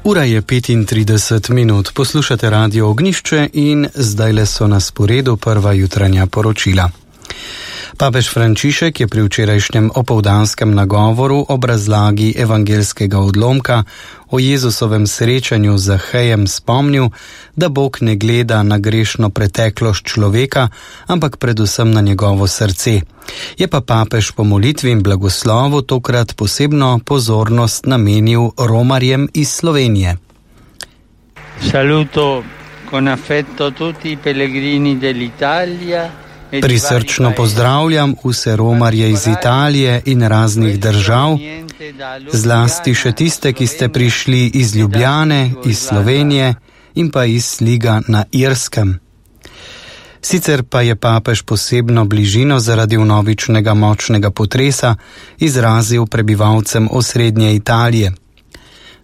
Ura je 35 minut, poslušate Radio Ognjišče in zdajle so na sporedu prva jutranja poročila. Papež Frančišek je pri včerajšnjem opoldanskem nagovoru ob razlagi evangelskega odlomka o Jezusovem srečanju z Zahejem spomnil, da Bog ne gleda na grešno preteklost človeka, ampak predvsem na njegovo srce. Je pa papež po molitvi in blagoslovu tokrat posebno pozornost namenil romarjem iz Slovenije. Saluto con affetto tutti i pellegrini dell'Italia. Prisrčno pozdravljam vse romarje iz Italije in raznih držav, zlasti še tiste, ki ste prišli iz Ljubljane, iz Slovenije in pa iz Sliga na Irskem. Sicer pa je papež posebno bližino zaradi vnovičnega močnega potresa izrazil prebivalcem osrednje Italije.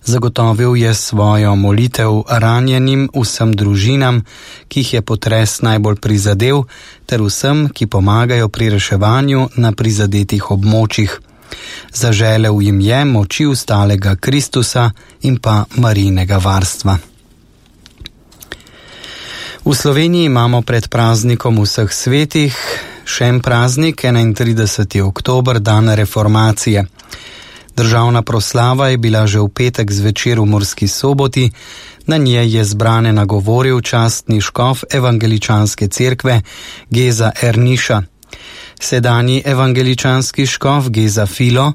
Zagotovil je svojo molitev ranjenim, vsem družinam, ki jih je potres najbolj prizadel, ter vsem, ki pomagajo pri reševanju na prizadetih območjih. Zaželel jim je moči ustalega Kristusa in pa Marijinega varstva. V Sloveniji imamo pred praznikom vseh svetih še en praznik, 31. oktober, dan reformacije. Državna proslava je bila že v petek zvečer v Murski Soboti, na njej je zbrane nagovoril častni škof evangeličanske cerkve Geza Erniša. Sedanji evangeličanski škof Geza Filo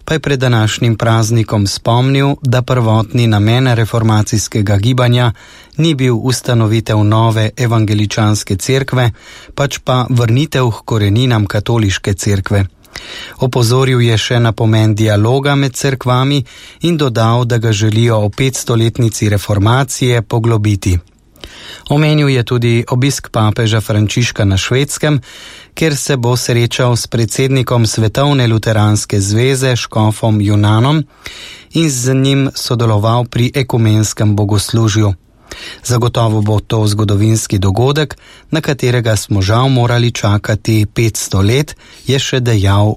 pa je pred današnjim praznikom spomnil, da prvotni namen reformacijskega gibanja ni bil ustanovitev nove evangeličanske cerkve, pač pa vrnitev k koreninam katoliške cerkve. Opozoril je še na pomen dialoga med cerkvami in dodal, da ga želijo o 500-letnici reformacije poglobiti. Omenil je tudi obisk papeža Frančiška na Švedskem, kjer se bo srečal s predsednikom Svetovne luteranske zveze škofom Junanom in z njim sodeloval pri ekumenskem bogoslužju. Zagotovo bo to zgodovinski dogodek, na katerega smo žal morali čakati 500 let, je še dejal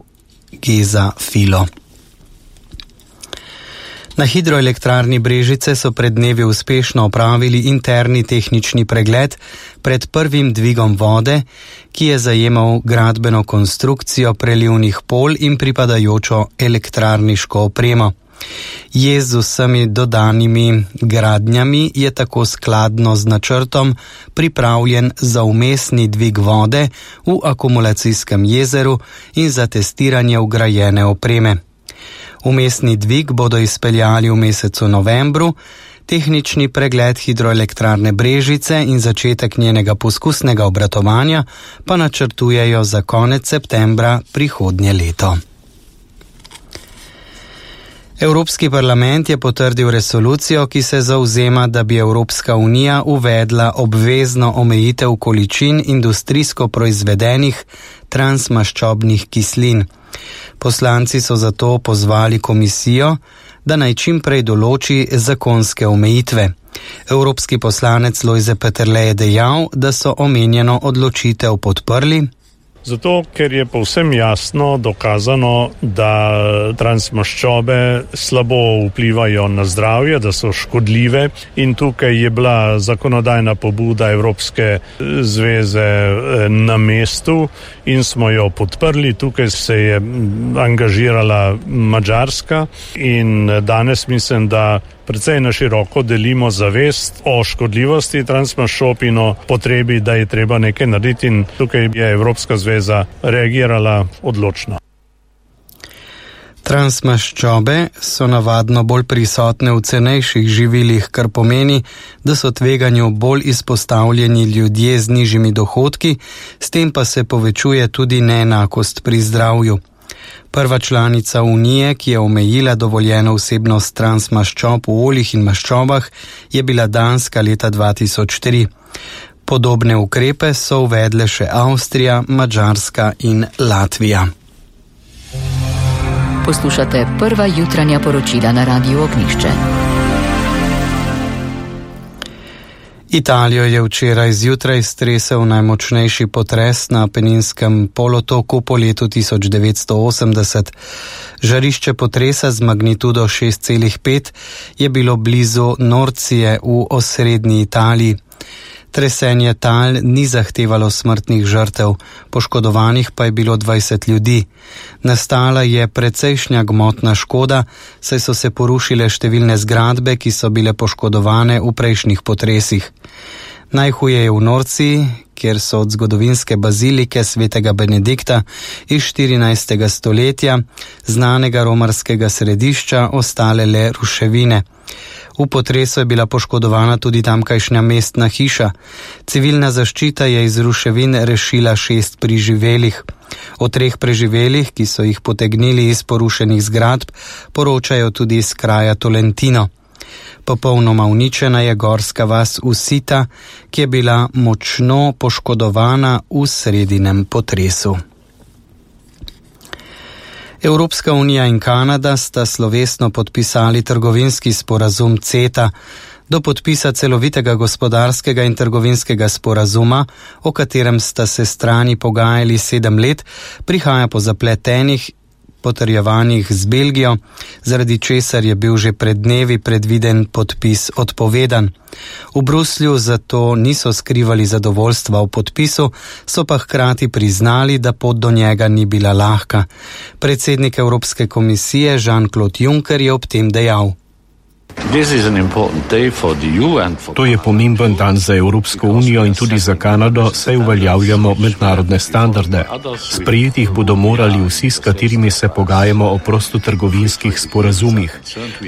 Geza Filo. Na hidroelektrarni Brežice so pred dnevi uspešno opravili interni tehnični pregled pred prvim dvigom vode, ki je zajemal gradbeno konstrukcijo prelivnih polj in pripadajočo elektrarniško opremo. Jez z vsemi dodanimi gradnjami je tako skladno z načrtom pripravljen za vmesni dvig vode v akumulacijskem jezeru in za testiranje vgrajene opreme. Vmesni dvig bodo izpeljali v mesecu novembru, tehnični pregled hidroelektrarne Brežice in začetek njenega poskusnega obratovanja pa načrtujejo za konec septembra prihodnje leto. Evropski parlament je potrdil resolucijo, ki se zavzema, da bi Evropska unija uvedla obvezno omejitev količin industrijsko proizvedenih transmaščobnih kislin. Poslanci so zato pozvali komisijo, da naj čim prej določi zakonske omejitve. Evropski poslanec Lojze Peterle je dejal, da so omenjeno odločitev podprli. Zato, ker je povsem jasno dokazano, da transmaščobe slabo vplivajo na zdravje, da so škodljive in tukaj je bila zakonodajna pobuda Evropske zveze na mestu in smo jo podprli. Tukaj se je angažirala Madžarska in danes mislim, da precej na široko delimo zavest o škodljivosti transmaščob in o potrebi, da je treba nekaj narediti in tukaj je Evropska zveza reagirala odločno. Transmaščobe so navadno bolj prisotne v cenejših živilih, kar pomeni, da so tveganju bolj izpostavljeni ljudje z nižjimi dohodki, s tem pa se povečuje tudi neenakost pri zdravju. Prva članica Unije, ki je omejila dovoljeno vsebnost transmaščob v oljih in maščobah, je bila Danska leta 2003. Podobne ukrepe so uvedle še Avstrija, Madžarska in Latvija. Poslušate prva jutranja poročila na Radiu Ognjišče. Italijo je včeraj zjutraj stresel najmočnejši potres na Apeninskem polotoku po letu 1980. Žarišče potresa z magnitudo 6,5 je bilo blizu Norcije v osrednji Italiji. Tresenje tal ni zahtevalo smrtnih žrtev, poškodovanih pa je bilo 20 ljudi. Nastala je precejšnja gmotna škoda, saj so se porušile številne zgradbe, ki so bile poškodovane v prejšnjih potresih. Najhuje je v Norciji, kjer so od zgodovinske bazilike svetega Benedikta iz 14. stoletja, znanega romarskega središča, ostale le ruševine. V potresu je bila poškodovana tudi tamkajšnja mestna hiša. Civilna zaščita je iz ruševin rešila 6 preživelih. O 3 preživelih, ki so jih potegnili iz porušenih zgradb, poročajo tudi iz kraja Tolentino. Popolnoma uničena je gorska vas Usita, ki je bila močno poškodovana v sredinem potresu. Evropska unija in Kanada sta slovesno podpisali trgovinski sporazum CETA. Do podpisa celovitega gospodarskega in trgovinskega sporazuma, o katerem sta se strani pogajali 7 let, prihaja po zapletenih potrjevanjih z Belgijo, zaradi česar je bil že pred dnevi predviden podpis odpovedan. V Bruslju zato niso skrivali zadovoljstva o podpisu, so pa hkrati priznali, da pot do njega ni bila lahka. Predsednik Evropske komisije Jean-Claude Juncker je ob tem dejal: To je pomemben dan za Evropsko unijo in tudi za Kanado, saj uveljavljamo mednarodne standarde. Sprejeti jih bodo morali vsi, s katerimi se pogajamo o prostotrgovinskih sporazumih.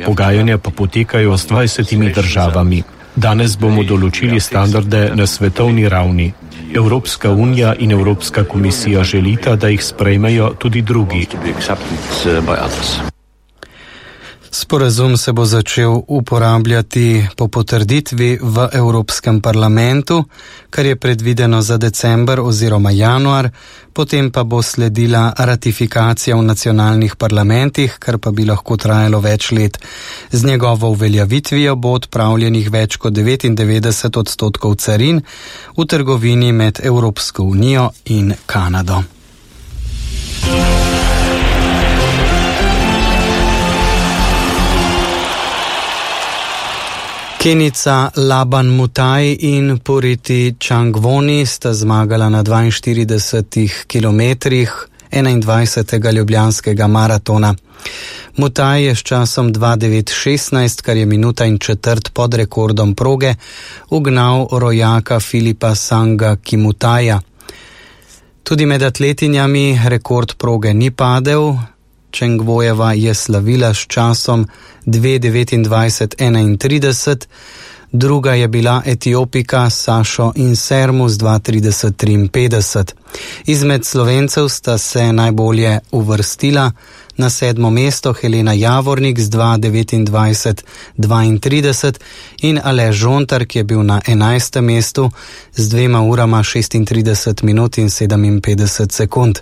Pogajanja pa potekajo z 20 državami. Danes bomo določili standarde na svetovni ravni. Evropska unija in Evropska komisija želita, da jih sprejmejo tudi drugi. Sporazum se bo začel uporabljati po potrditvi v Evropskem parlamentu, kar je predvideno za december oziroma januar, potem pa bo sledila ratifikacija v nacionalnih parlamentih, kar pa bi lahko trajalo več let. Z njegovo uveljavitvijo bo odpravljenih več kot 99% carin v trgovini med Evropsko unijo in Kanado. Kenica Laban Mutai in Puriti Changwoni sta zmagala na 42 kilometrih 21. ljubljanskega maratona. Mutai je s časom 2:9:16, kar je minuta in četrt pod rekordom proge, ugnal rojaka Filipa Sanga Kimutaja. Tudi med atletinjami rekord proge ni padel. Changwojeva je slavila s časom 2:29:31, druga je bila Etiopika Sašo Insermu z 2:30:53. Izmed Slovencev sta se najbolje uvrstila na 7. mesto Helena Javornik z 2:29:32 in Aleš Žontar, ki je bil na 11. mestu z 2 urama 36 minut in 57 sekund.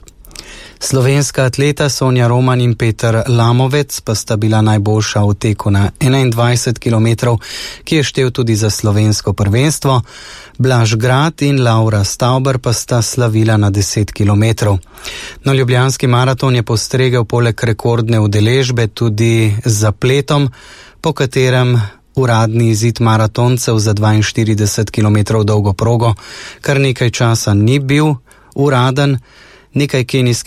Slovenska atleta Sonja Roman in Peter Lamovec pa sta bila najboljša v teku na 21 km, ki je štel tudi za slovensko prvenstvo. Blaž Grad in Laura Stauber pa sta slavila na 10 km. No, ljubljanski maraton je postregel poleg rekordne udeležbe tudi z zapletom, po katerem uradni izid maratoncev za 42 km dolgo progo kar nekaj časa ni bil uraden. Nekaj kenijskih